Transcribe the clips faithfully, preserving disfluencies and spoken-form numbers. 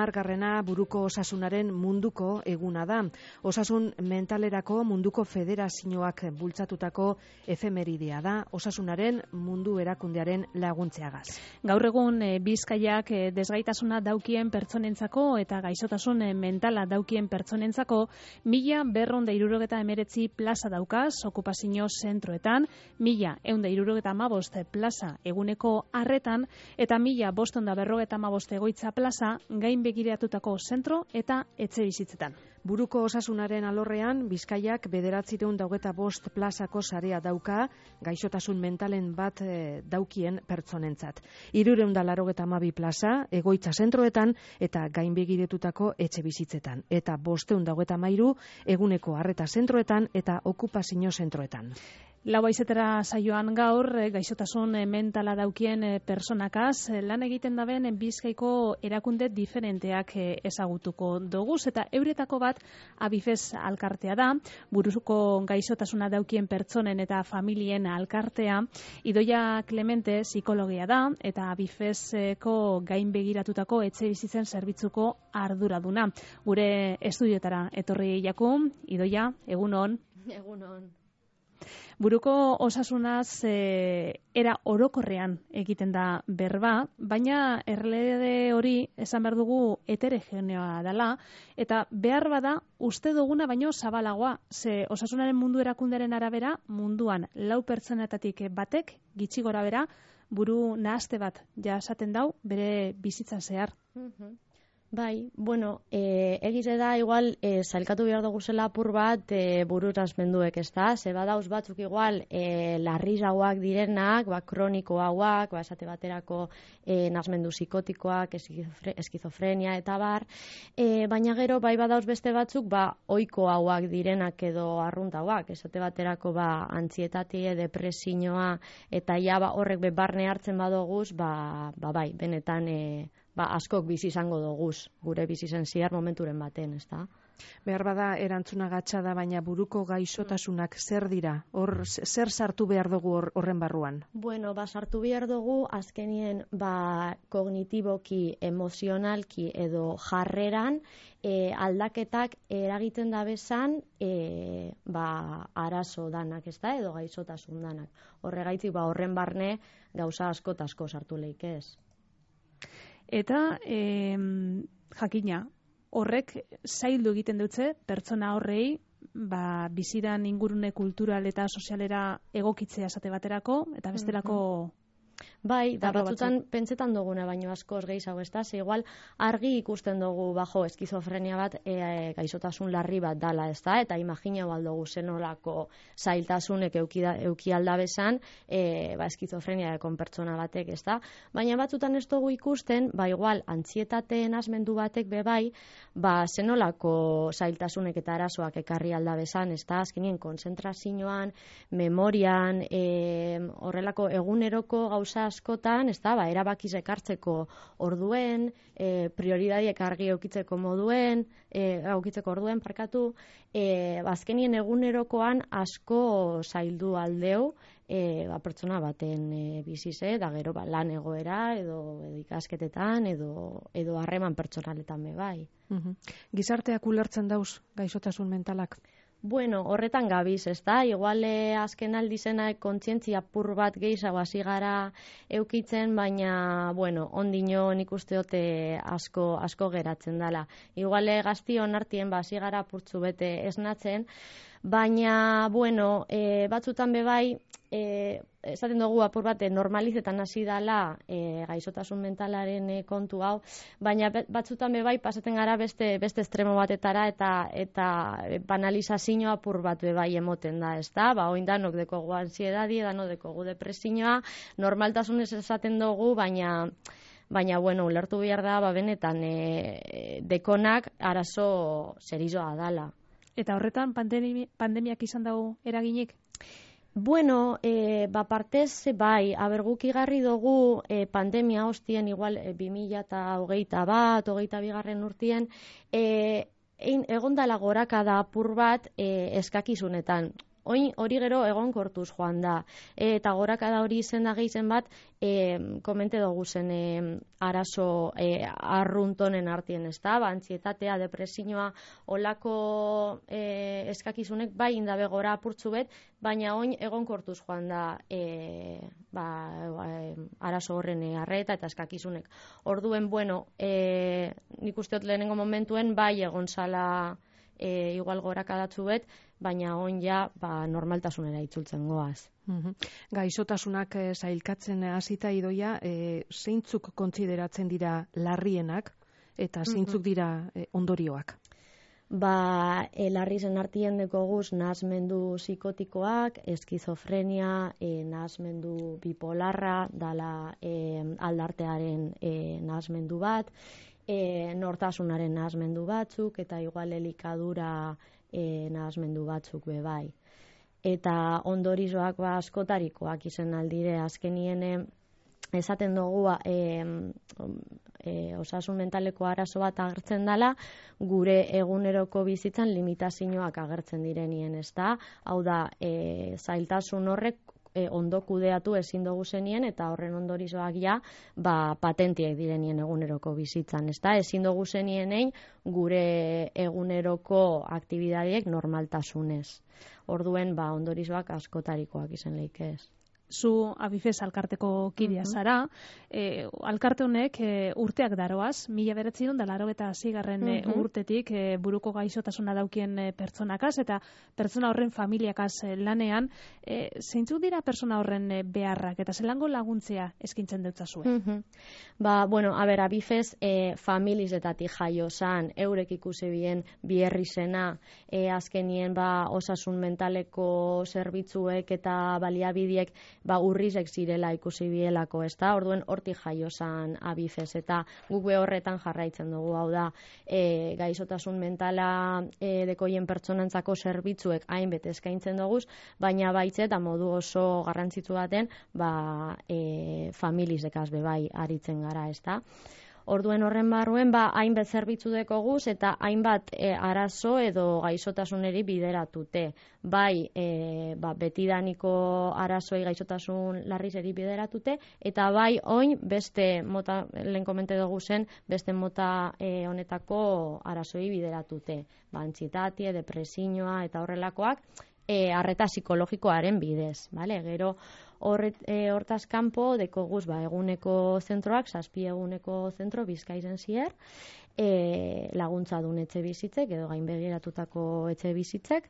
hamargarrena buruko osasunaren munduko eguna da. Osasun mentalerako munduko federazioak bultzatutako efemeridea da, osasunaren mundu erakundearen laguntzeagaz. Gaur egun Bizkaiak desgaitasuna daukien pertsonentzako eta gaixotasun mentala daukien pertsonentzako mila berrehun eta hirurogeta hemeretzi plaza daukaz okupazio zentroetan, mila ehun eta hirurogeta hamabost plaza eguneko arretan eta mila bostehun eta berrogeita hamabost egoitza plaza gain begiratutako zentro eta etxe bizitzetan. Buruko osasunaren alorrean, Bizkaiak bederatziehun eta hogeita bost plazako sarea dauka gaixotasun mentalen bat e, daukien pertsonentzat. Hirurehun eta laurogeita hamabi plaza egoitza zentroetan eta gainbegiratutako etxe bizitzetan. Eta bostehun eta hogeita hamairu eguneko arreta zentroetan eta okupazio zentroetan. Lau haizetara saioan gaur, gaixotasun mentala daukien personakaz, lan egiten daben Bizkaiko erakunde diferenteak ezagutuko doguz, eta euretako bat Abifez alkartea da, buruko gaixotasuna daukien pertsonen eta familien alkartea. Idoia Clemente psikologia da, eta Abifezeko gain begiratutako etxe bizitzen zerbitzuko arduraduna. Gure estudiotara etorri jaku, Idoia, egunon. Egunon. Buruko osasunaz e, era orokorrean egiten da berba, baina erlede hori esan behar dugu heterogeneoa dela, eta behar bada uste duguna baino zabalagoa, ze osasunaren mundu erakundearen arabera, munduan lau pertsonetatik batek, gitxi gora bera, buru nahaste bat jasaten dau bere bizitzan zehar. Mm-hmm. Bai, bueno, e, egize da, igual, e, zailkatu behar dugu zela apur bat e, bururaz menduek, ez da? Ze badauz batzuk igual, e, larrizauak direnak, ba, kroniko hauak, ba, esate baterako e, nazmendu psikotikoak, eskizofre, eskizofrenia eta bar, e, baina gero, bai badauz beste batzuk, ba, oiko hauak direnak edo arruntauak, esate baterako, ba, antzietatie, depresioa, eta ja, ba, horrek bebarne hartzen badoguz, ba, ba, bai, benetan, e, ba, askok bizi izango doguz, gure bizi zen ziar momenturen baten, ez da? Behar bada erantzuna gatsa da, baina buruko gaixotasunak zer dira? Hor, zer sartu behar dugu horren barruan? Bueno, ba, sartu behar dugu, azkenien, ba, kognitiboki, emozionalki edo jarreran, e, aldaketak eragiten da bezan, e, ba, arazo danak, ez da, edo gaixotasun danak. Horregaitik, ba, horren barne, gauza asko eta asko sartu leik ez. Eta e, jakina, horrek zaildu egiten dutze, pertsona horrei, ba, bizidan ingurune kultural eta sozialera egokitzea esate baterako, eta bestelako... Mm-hmm. Bai, da batzutan pentsetan duguna baino askoz gehiago, ez da, ze igual argi ikusten dugu bajo eskizofrenia bat e, e, gaixotasun larri bat dala, ez da, eta imaginau aldugu zenolako zailtasunek euki, euki aldabezan e, ba, eskizofrenia dekon pertsona batek, ez da, baina batzutan ez dugu ikusten, ba igual antzietateen asmendu batek bebai, ba zenolako zailtasunek eta arazoak ekarri aldabezan, ez da, azkenien konzentrazioan, memorian, e, horrelako eguneroko gauza askotan, ez da, ba, erabakiz ekartzeko orduen, e, prioridadiek argi eukitzeko moduen, e, eukitzeko orduen, parkatu, e, azkenien egunerokoan asko zaildu aldeu, e, ba, pertsona baten e, bizize, da gero ba, lan egoera, edo, edo ikasketetan, edo edo harreman pertsonaletan be bai. Mm-hmm. Gizarteak ulertzen dauz gaixotasun mentalak? Bueno, horretan gabiz, ez da? Igual eh, azken aldizena kontzientzia pur bat gehiago hasi gara eukitzen, baina, bueno, ondino nik uste dute asko, asko geratzen dela. Igual eh, gaztion artien ba, hasi gara purtzu bete esnatzen, baina, bueno, eh, batzutan bebai, eh, esaten dugu apur bat normalizetan hasi dala e, gaixotasun mentalaren e, kontu hau, baina batzutan bebai pasaten gara beste beste estremo batetara eta eta banalizazio apur bat bebai emoten da, ez da? Ba, oin danok dekogu ansiedadi, danok dekogu depresioa, normaltasunez esaten dugu, baina baina bueno, ulertu behar da, ba, benetan e, dekonak arazo serizoa dala. Eta horretan pandemi, pandemiak izan dago eraginik? Bueno, e, ba partez, bai, aberguk igarri dugu e, pandemia hostien, igual, e, bi mila hogeita bat, hogeita bigarren urtien, e, egon dala gorakada apur bat e, eskakizunetan. oin hori gero egonkortuz joan da. E, eta gorakada hori izen da gehizen bat, e, komente dugu zen e, arazo e, arruntonen artien, ez da? Ba, antzietatea, depresioa, olako e, eskakizunek bai indabe gora apurtzu bet, baina oin egonkortuz joan da e, ba, e, arazo horren e, arreta eta eskakizunek. Orduen, bueno, e, nik usteot lehenengo momentuen bai egon zala e, igual gorakadatzu bet, baina on ja ba, normaltasunera itzultzen goaz. Mhm. Gaixotasunak e, zailkatzen hasita Idoia, e, zeintzuk kontsideratzen dira larrienak eta zeintzuk dira e, ondorioak? Ba, e, larri zen artien dekoguz nahasmendu psikotikoak, eskizofrenia, e, nahasmendu bipolarra, dala e, aldartearen e, nahasmendu bat, e, nortasunaren nahasmendu batzuk, eta igual elikadura e, nahasmendu batzuk bebai. Eta ondorizoak ba, askotarikoak izen aldire, azkenien esaten dugu e, e, osasun mentaleko arazo bat agertzen dela, gure eguneroko bizitzan limitazioak agertzen direnien, ez da? Hau da, e, zailtasun horrek e, ondo kudeatu ezin dugu zenien, eta horren ondorizoak ja, ba, patentiek direnien eguneroko bizitzan, ez da? Ezin dugu zenienei gure eguneroko aktibidadiek normaltasunez. Orduen, ba, ondorizoak askotarikoak izan leike ez. Zu Abifes alkarteko kidea zara, e, alkarte honek e, urteak daroaz, mila bederatziehun eta laurogeita seigarren e, urtetik e, buruko gaixotasuna daukien e, pertsonakaz, eta pertsona horren familiakaz e, lanean, e, zeintzuk dira pertsona horren e, beharrak, eta zelango laguntzea eskintzen deutzazue? Mm-hmm. Ba, bueno, a ber, Abifes e, familizetatik jaio zan, eurek ikusi bien bierri zena, e, azkenien ba, osasun mentaleko zerbitzuek eta baliabidiek ba, urrizek zirela ikusi bielako, ez da? Orduen hortik jaio zan Abifes, eta guk be horretan jarraitzen dugu, hau da, e, gaixotasun mentala e, dekoien pertsonantzako zerbitzuek hainbet eskaintzen dugu, baina baitze eta modu oso garrantzitsu baten, ba, e, familizekaz bebai aritzen gara, ez da? Orduen horren barruen, ba, hainbat zerbitzu dekoguz eta hainbat e, arazo edo gaixotasuneri bideratute. Bai, e, ba, betidaniko arazoi gaixotasun larrizeri bideratute, eta bai, oin, beste mota, lehen komente dugu zen, beste mota e, honetako arazoi bideratute. Ba, antsietatea, depresioa eta horrelakoak, e, arreta psikologikoaren bidez, bale? Gero, Horret, e, hortaz kanpo dekoguz ba, eguneko zentroak, zazpi eguneko zentro Bizkairen zier, e, laguntza dun etxe bizitzek, edo gainbegiratutako etxe bizitzek,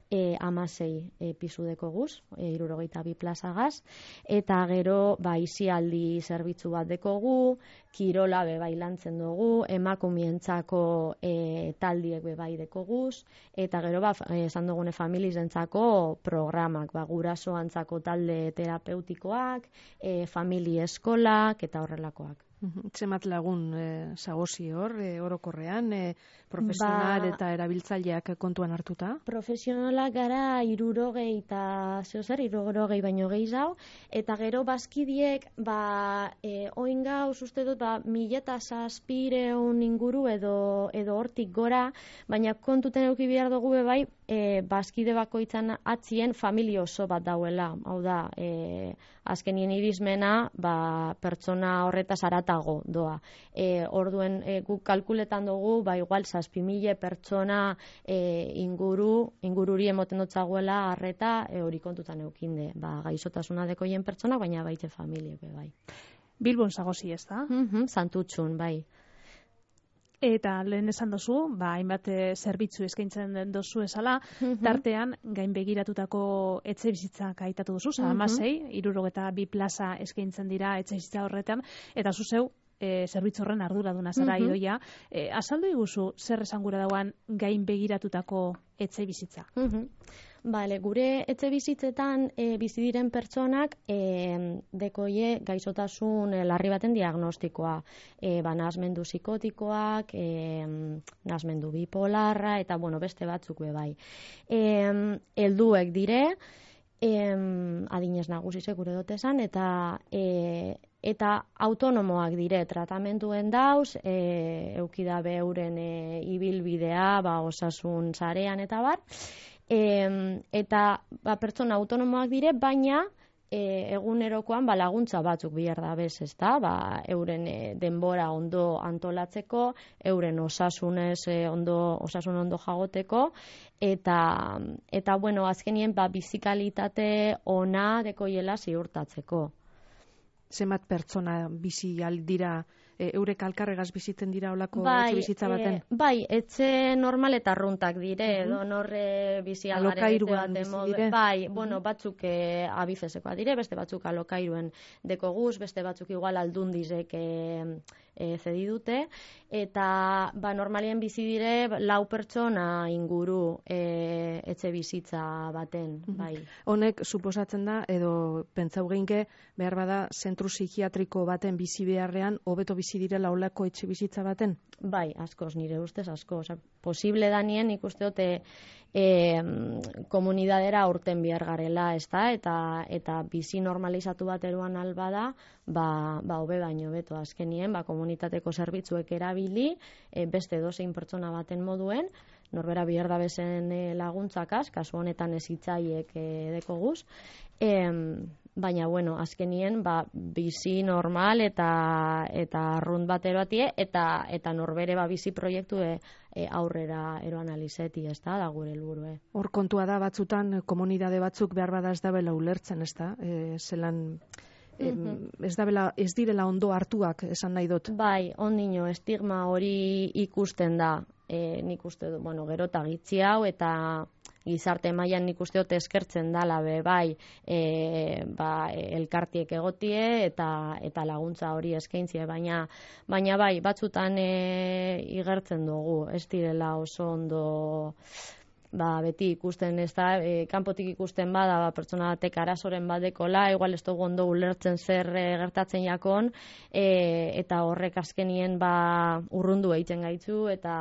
e, amasei e, pisu dekoguz, e, irurogeita bi plazagaz, eta gero ba, izialdi zerbitzu bat dekogu, kirola bebai lantzen dugu, emakumientzako e, taldiek bebai dekoguz, eta gero ba, esan dugune familizentzako programak, ba, gurasoantzako talde terapeutikoak, e, famili eskolak eta horrelakoak. Zemat lagun e, zagozi hor, e, orokorrean, e, profesional ba, eta erabiltzaileak kontuan hartuta? Profesionalak gara irurogei eta zehozer, irurogei baino gehiago, eta gero bazkidiek, ba, e, oin gauz, uste dut, ba, mila eta zazpireun inguru edo, edo hortik gora, baina kontuten eduki behar dugu bai, e, bazkide bakoitzan atzien familia oso bat dauela, hau da, e, azkenien irizmena, ba, pertsona horretaz aratago doa. E, orduen e, guk kalkuletan dugu, ba, igual zazpi mila pertsona e, inguru, ingururi emoten dutzaguela arreta e, hori kontutan eukinde. Ba, gaixotasuna dekoien pertsona, baina baite familiek be bai. Bilbon zagozi ez da? Mm-hmm, Santutxun, bai. Eta lehen esan dozu, ba, hainbat zerbitzu eskaintzen den dozu esala, mm-hmm. tartean gain begiratutako etxe bizitzak aitatu duzu, mm-hmm. amasei, irurogeta bi plaza eskaintzen dira etxe bizitza horretan, eta zuzeu, e, zerbitzu horren arduraduna zara mm-hmm. Idoia. E, azaldu iguzu, zer esan gura dauan gain begiratutako etxe bizitza? Mm-hmm. Bale, gure etxe bizitzetan e, bizi diren pertsonak e, dekoie gaixotasun e, larri baten diagnostikoa. E, ba, nahasmendu psikotikoak, e, nahasmendu bipolarra, eta bueno, beste batzuk be bai. E, helduek dire, e, adinez nagusi segure dotezan, eta e, eta autonomoak dire tratamenduen dauz, e, eukidabe euren e, ibilbidea, ba, osasun sarean eta bar, E, eta ba, pertsona autonomoak dire, baina E, egunerokoan ba, laguntza batzuk bihar da bez, ezta? Ba, euren e, denbora ondo antolatzeko, euren osasunez e, ondo, osasun ondo jagoteko, eta, eta bueno, azkenien ba, bizikalitate ona dekoiela ziurtatzeko. Zenbat pertsona bizi aldira, e, eurek alkarregaz bizitzen dira olako bai, etxe bizitza baten? E, bai, etxe normal eta arruntak dire, uh -huh. edo norre bizi algaren etxe baten modu. Bai, uh -huh. bueno, batzuk e, abifezekoa dire, beste batzuk alokairuen deko guz, beste batzuk igual aldundizek e, e, zedi dute, eta ba, normalien bizi dire lau pertsona inguru e, etxe bizitza baten, uh -huh. bai. Honek, suposatzen da, edo pentsau geinke, behar bada, zentru psikiatriko baten bizi beharrean, hobeto bizi direla olako etxe bizitza baten? Bai, askoz, nire ustez asko. Osa, posible danien ikuste dute e, komunidadera aurten bihar garela, ezta? Eta, eta bizi normalizatu bat eruan albada, ba, ba hobe baino beto azkenien, ba, komunitateko zerbitzuek erabili, e, beste dozein pertsona baten moduen, norbera bihar da bezen e, laguntzakaz, kasu honetan ez hitzaiek e, dekoguz, e, baina, bueno, azkenien, ba, bizi normal eta eta arrunt bat eroatie, eta, eta norbere ba, bizi proiektu e, e, aurrera eroan alizeti, ez da, da gure helburue. Hor kontua da, batzutan, komunidade batzuk behar bada ez dabela ulertzen, ez da? E, zelan, e, ez dabela, ez direla ondo hartuak, esan nahi dut. Bai, ondino, estigma hori ikusten da, e, nik uste du, bueno, gero eta gitzi hau, eta gizarte mailan nik uste dut eskertzen dala be bai e, ba, elkartiek egotie eta eta laguntza hori eskaintzie, baina baina bai batzutan e, igertzen dugu, ez direla oso ondo ba, beti ikusten, ez da, e, kanpotik ikusten bada, ba, pertsona batek arazoren badekola, igual ez dugu ondo ulertzen zer e, gertatzen jakon, e, eta horrek azkenien ba, urrundu egiten gaitzu, eta,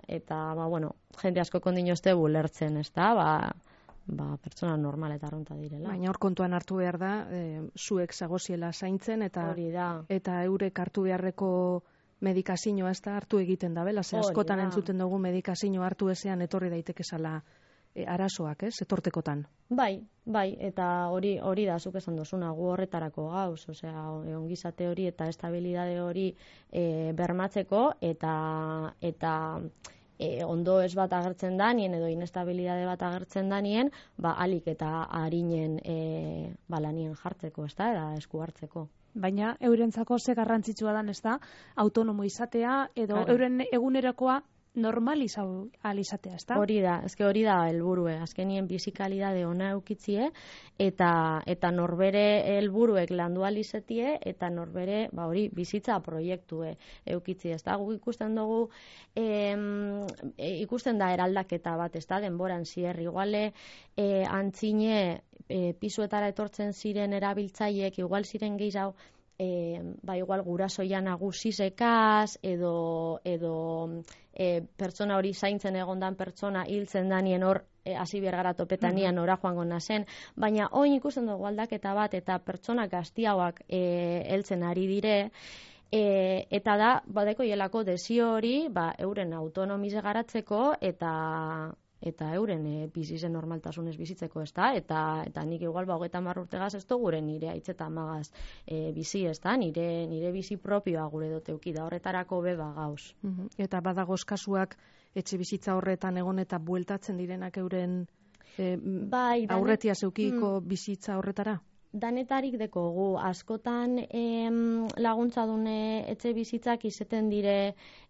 eta ba, bueno, jende asko kondino ez dugu ulertzen, ez da, ba, ba, pertsona normal eta arrunta direla. Baina hor kontuan hartu behar da, e, zuek zagoziela zaintzen, eta, hori da. Eta eurek hartu beharreko medikazioa ez da hartu egiten da, bela? Ze askotan entzuten dugu medikazioa hartu ezean etorri daiteke zala e, arazoak, ez? Etortekotan. Bai, bai, eta hori hori da zuk esan dozuna, gu horretarako gauz, osea, ongizate hori eta estabilidade hori e, bermatzeko, eta eta E, ondo ez bat agertzen danien edo inestabilidade bat agertzen danien, ba, alik eta harinen e, balanien jartzeko, ez da, eta esku hartzeko. Baina eurentzako ze garrantzitsua dan, ez da, autonomo izatea edo claro. Euren egunerakoa normalizau alizatea, ez da? Hori da, ezke hori da helburue, azkenien bizikalidade ona eukitzie, eta eta norbere helburuek landu alizetie, eta norbere, ba hori, bizitza proiektue eukitzie, ez da? Guk ikusten dugu, em, e, ikusten da eraldaketa bat, ez da, denboran zier, iguale, e, antzine, e, pisuetara etortzen ziren erabiltzaiek, igual ziren gehiago, E, ba igual gurasoia nagusizekaz edo edo e, pertsona hori zaintzen egondan pertsona hiltzen danien hor hasi e, bergara topetanian ora joango nazen, baina oin ikusten dugu aldaketa bat eta pertsona gaztiagoak e, heltzen ari dire, e, eta da badeko hielako desio hori ba, euren autonomize garatzeko eta eta euren e, bizizen normaltasunez bizitzeko, ez da, eta, eta nik igual ba, hogeita hamar urtegaz ez du gure nire aitz eta amagaz e, bizi, ez da, nire, nire bizi propioa gure doteuki da, horretarako beba gauz. Uh-huh. Eta badagoz kasuak etxe bizitza horretan egon eta bueltatzen direnak euren e, bai, aurretia zeukiko mm. bizitza horretara? Danetarik dekogu, askotan em, laguntza dune etxe bizitzak izeten dire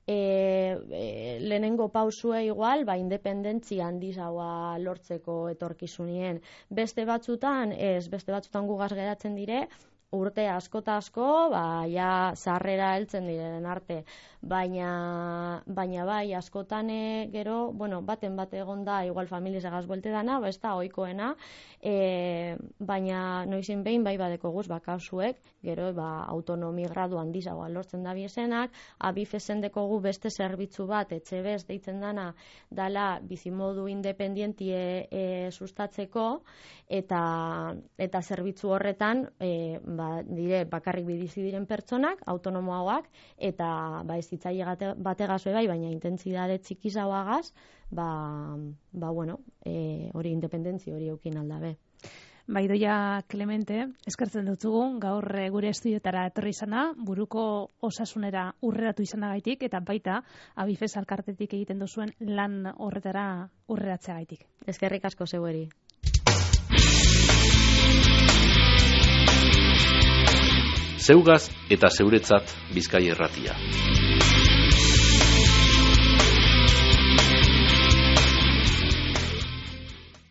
e, e, lehenengo pausue igual, ba, independentzia handizagoa lortzeko etorkizunien. Beste batzutan, ez, beste batzutan gugaz geratzen dire, urte asko eta asko, ba, ja, zarrera heltzen direnen arte. Baina, baina bai, askotan gero, bueno, baten bat egon da, igual familiz egaz buelte dana, ba, ez da, oikoena, e, baina noizin behin bai badeko guz, ba, kausuek, gero, ba, autonomi gradu handizagoa lortzen da biesenak, abifezen dekogu beste zerbitzu bat, etxe bez deitzen dana, dala bizimodu independientie e, sustatzeko, eta, eta zerbitzu horretan, e, ba, dire bakarrik bizi diren pertsonak, autonomoagoak, eta ba, ez hitzaile bategaz bai, baina intentsitate txikizagoagaz, ba, ba bueno, e, hori independentzia hori eukin aldabe. Ba, Idoia Clemente, eskertzen dutzugu, gaur gure estudiotara etorri izana, buruko osasunera urreratu izanagaitik, eta baita Abifes elkartetik egiten duzuen lan horretara urreratzeagaitik. Eskerrik asko zeueri. Zeugaz eta zeuretzat Bizkaia Irratia.